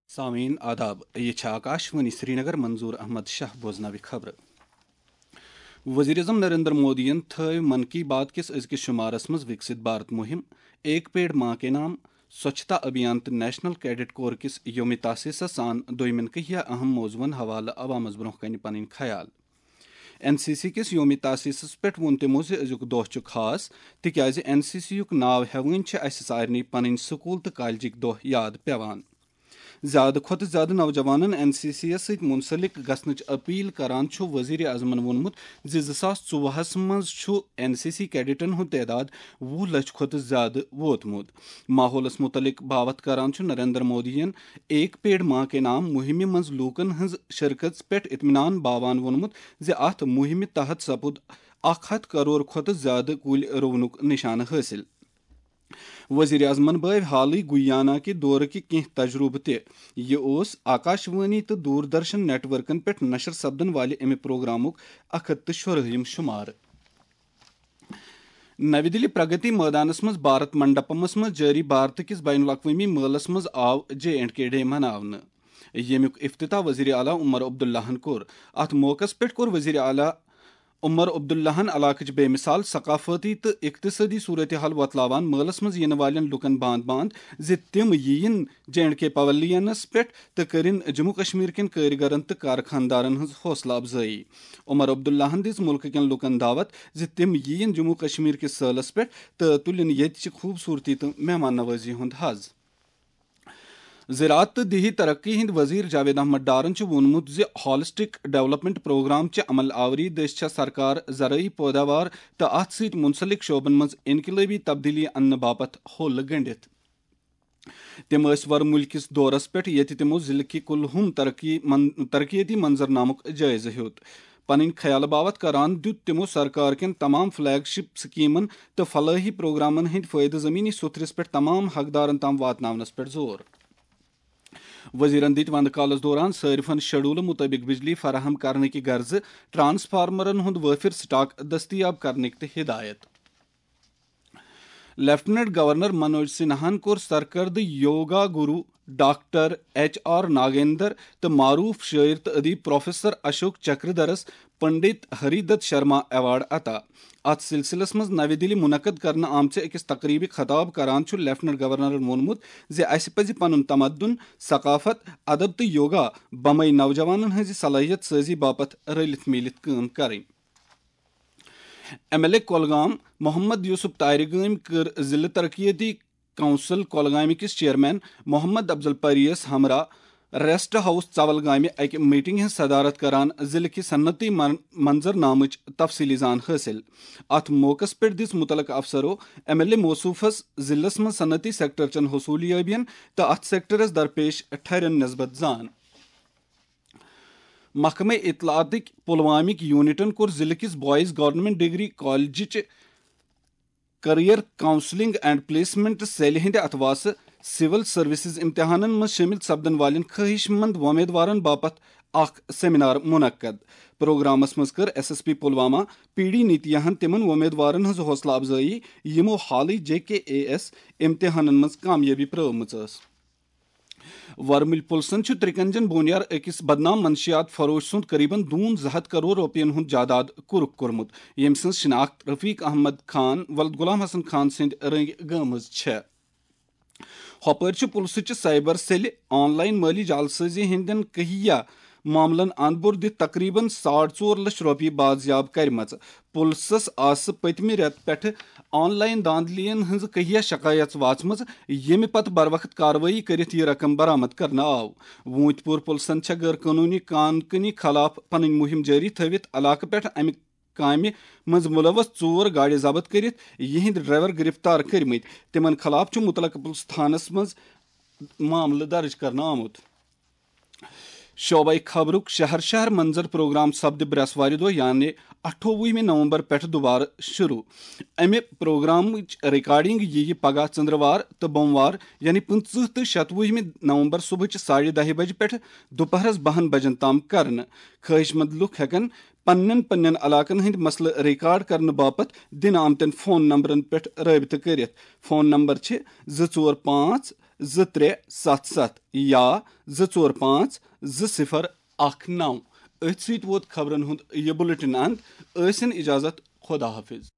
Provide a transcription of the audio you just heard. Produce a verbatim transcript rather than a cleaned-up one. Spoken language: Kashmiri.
سامعین آداب، یہ چھا آکاش وانی سرینگر، منظور احمد شاہ بوزناوِ خبرٕ۔ وزیر اعظم نریندر مودیَن تھٲو من کی بات کِس أزکِس شمارس منٛز وکسِت بھارت مہم، ایک پیڑ ماں کے نام، سوچھتا ابھیان تہٕ نیشنل کیڈٹ کور کِس یوم تاسیسس سان دوٚیمٮ۪ن کینٛہہ اہم موضوعن حوالہٕ عوامس برونٛہہ کنہِ پنٕنۍ خیال۔ این سی سی کِس یوم تاسیسس پٮ۪ٹھ ووٚن تِمو زِ أزیُک دۄہ چھُ خاص، تِکیازِ این سی سی یُک ناو ہٮ۪وٲنۍ چھِ اسہِ سارنٕے پنٕنۍ سکوٗل تہٕ کالجٕکۍ دۄہ یاد پٮ۪وان۔ زیادٕ کھۄتہٕ زیادٕ نوجوانن این سی سی یس سۭتۍ منسلک گژھنٕچ اپیل کران چھُ وزیر اعظمن ووٚنمُت زِ زٕ ساس ژوٚوُہس منٛز چھُ این سی سی کیڈٹن ہُنٛد تعداد وُہ لچھ کھۄتہٕ زیادٕ ووتمُت۔ ماحولس متعلق باوتھ کران چھُ نریندر مودیَن ایک پیڑ ماں کے نام مہمہِ منٛز لوٗکن ہٕنٛز شرکژ پٮ۪ٹھ اطمینان باوان ووٚنمُت زِ اتھ مہمہِ تحت سپُد اکھ ہتھ کرور کھۄتہٕ زیادٕ کُلۍ رُونُک نشانہٕ حٲصِل۔ وزیر اعظمن بٲوۍ حالٕے گویانا کہِ دورٕ کہِ کینٛہہ تجربہٕ تہِ۔ یہِ اوس آکاش وانی تہٕ دوردرشن نیٹ ورکن پٮ۪ٹھ نشر سپدن والہِ امہِ پروگرامُک اکھ ہتھ تہٕ شُراہِم شمارٕ۔ نَوِ دِلہِ پرگتی مٲدانَس منٛز بھارت منڈپمَس منٛز جٲری بھارت کِس بین الاقوٲمی مٲلَس منٛز آو جے اینڈ کے ڈے مناونہٕ، ییٚمیُک افتتاح وزیر اعلیٰ عمر عبداللہَن کوٚر۔ اَتھ موقعَس پٮ۪ٹھ کوٚر وزیر اعلیٰ عمر عبداللہَن علاقٕچ بے مثال ثقافتی تہٕ اقتصٲدی صورتحال وۄتلاوان مٲلَس منٛز یِنہٕ والٮ۪ن لوٗکَن باند باند زِ تِم یِیِن جے اینڈ کے پویلینَس پٮ۪ٹھ تہٕ کٔرِن جموں کشمیر کٮ۪ن کٲرۍ گرن تہٕ کارخانہٕ دارن ہٕنٛز حوصلہٕ افزٲیی۔ عمر عبداللہَن دِژ مُلکہٕ کٮ۪ن لوٗکَن دعوت زِ تِم یِیِن جموں کشمیر کِس سٲلَس پٮ۪ٹھ تہٕ تُلِن ییٚتہِ چہِ خوٗبصوٗرتی تہٕ مہمان نوازی ہُنٛد حظ۔ زراعت تہٕ دیہی ترقی ہٕنٛدۍ وزیر جاوید احمد ڈارن چھُ ووٚنمُت زِ ہالسٹک ڈیولپمنٹ پروگرام چہِ عمل آوری دٔسۍ چھےٚ سرکار زرٲعی پٲداوار تہٕ اَتھ سۭتۍ مُنسلک شعبن منٛز انقلٲبی تبدیلی اننہٕ باپتھ ہوٚل گٔنٛڈِتھ۔ تِم ٲسۍ ورمُلۍ کِس دورس پٮ۪ٹھ، ییٚتہِ تِمو ضلعہٕ کہِ کُلہُم ترقی من-، ترقیتی منظرنامُک جٲیزٕ ہیوٚت۔ پنٕنۍ خیالہٕ باوتھ کران دیُت تِمو سرکار کٮ۪ن تمام فلیگ شپ سکیمن تہٕ فلٲحی پروگرامن ہٕنٛدۍ فٲیدٕ زمینی سوٚتھرِس پٮ۪ٹھ تمام حقدارن تام واتناونس پٮ۪ٹھ زور۔ وزیرن دِتۍ وندٕ کالس دوران صٲرفن شیڈولہٕ مُطٲبِق بجلی فراہم کرنہٕ کہِ غرضہٕ ٹرانسفارمرن ہُنٛد وٲفر سٹاک دٔستیاب کرنٕکۍ تہِ ہدایت۔ لیفٹیننٹ گورنر منوج سنہاہن کوٚر سرکردٕ یوگا گرو ڈاکٹر ایچ آر ناگیندر تہٕ معروف شٲعر تہٕ ادیب پروفیسر اشوک چکردھرس پنڈت ہری دت شرما ایوارڈ عطا۔ اتھ سلسلس منٛز نوِ دِلہِ منعقد کرنہٕ آمژِ أکِس تقریبہِ خطاب کران چھُ لیفٹیننٹ گورنرن ووٚنمُت زِ اسہِ پزِ پنُن تمدُن، ثقافت، ادب تہٕ یوگا بمے نوجوانن ہٕنٛزِ صلٲحیت سٲزی باپتھ رٔلِتھ میٖلِتھ کٲم کرٕنۍ۔ M L A Kulgam Mohammad Yousuf Tarigami کٔر ضلعہٕ ترقیتی کونسل کۄلگامہِ کِس چیئرمین محمد افضل پریس ہمراہ ریسٹ ہاؤس ژول گامہِ اکہِ میٹنگ ہٕنٛز صدارت کران ضلعہٕ کہِ صنعتی من-، منظرنامٕچ تفصیلی زان حٲصِل۔ اتھ موقعس پٮ۪ٹھ دِژ مُتعلقہٕ افسرو ایم ایل اے موصوفس ضلعس منٛز صنعتی سیکٹر چٮ۪ن حصوٗلیٲبین تہٕ اتھ سیکٹرس درپیش ٹھرٮ۪ن نسبت زان۔ محکمہ اطلاعاتٕکۍ پلوامٕکۍ یونٹن کوٚر ضلعہٕ کِس بوائز گورنمنٹ ڈگری کالجچہِ کیریئر کاؤنسلنگ اینڈ پلیسمنٹ سیلہِ ہٕنٛدِ اتھواسہٕ سول سروسز امتحانن منٛز شٲمِل سپدن والٮ۪ن خٲہِش مند وۄمیدوارن باپتھ اکھ سیمینار منعقد۔ پروگرامس منٛز کٔر S S P Pulwama P D نیتیاہن تِمن وۄمیدوارن ہٕنٛز حوصلہٕ افزٲیی، یِمو حالٕے جے کے اے ایس امتحانن منٛز کامیٲبی پرٲومٕژ ٲس۔ ورمُلۍ پُلسن چھُ ترٛکَنجن بونیار أکِس بدنام منشیات فروش سُنٛد قریباً دوٗن زٕ ہتھ کرور رۄپین ہُنٛد جاداد کُرُک کوٚرمُت، ییٚمۍ سٕنٛز شناخت رفیق احمد خان ولد غلام حسن خان سٕنٛدۍ رٔنٛگۍ گٲمٕژ چھےٚ۔ ہۄپٲرۍ چھُ پُلسہٕ چہِ سائبر سیلہِ آن لائن مٲلی جعل سٲزی ہٕنٛدٮ۪ن کہیا معاملن اند بوٚر دِتھ تقریباً ساڑ ژور لچھ رۄپیہِ بازیاب کرِمژٕ۔ پُلسَس آسہٕ پٔتمہِ رٮ۪تہٕ پٮ۪ٹھٕ آن لائن دھاندلیَن ہٕنٛز کہیا شکایژ واژمٕژ، ییٚمہِ پتہٕ بروقت کاروٲیی کٔرِتھ یہِ رقم برآمد کرنہٕ آو۔ ووٗنتۍ پوٗر پُلسَن چھےٚ غٲر قونوٗنی کان کٲنی خلاف پنٕنۍ مُہِم جٲری تھٲوِتھ علاقہٕ پٮ۪ٹھ امہِ کامہِ منٛز مُلوث ژور گاڑِ ضبط کٔرِتھ یِہنٛدۍ ڈرائیور گرفتار کٔرمٕتۍ۔ تِمَن خلاف چھُ مُتعلقہٕ پُلسہٕ تھانس منٛز معاملہٕ درٕج کرنہٕ آمُت۔ شعبہ خبرُک شہر شہر منظر پروگرام سپدِ برٛٮ۪سوارِ دۄہ، یعنی اَٹھووُہمہِ نومبر پٮ۪ٹھ دوبارٕ شروع۔ امہِ پروگرامٕچ ریکارڈنگ یِیہِ پگاہ ژندروار تہٕ بوموار، یعنی پٕنٛژٕہ تہٕ شتوُہمہِ نومبر، صبحٕچ ساڑِ دَہہِ بجہِ پٮ۪ٹھ دُپہرس بَہَن بجن تام کرنہٕ۔ خٲہِش مند لوٗکھ ہٮ۪کن پننٮ۪ن پننٮ۪ن علاقن ہٕنٛدۍ مسلہٕ ریکارڈ کرنہٕ باپتھ دِنہٕ آمتٮ۪ن فون نمبرن پٮ۪ٹھ رٲبطہٕ کٔرِتھ۔ فون نمبر چھِ زٕ ژور پانٛژھ زٕ ترٛےٚ ستھ ستھ یا زٕ ژور پانٛژھ زٕ صفر اکھ نو۔ أتھۍ سۭتۍ ووت خبرن ہُنٛد یہِ بُلٹن اند۔ ٲسِن اجازت، خدا حافظ۔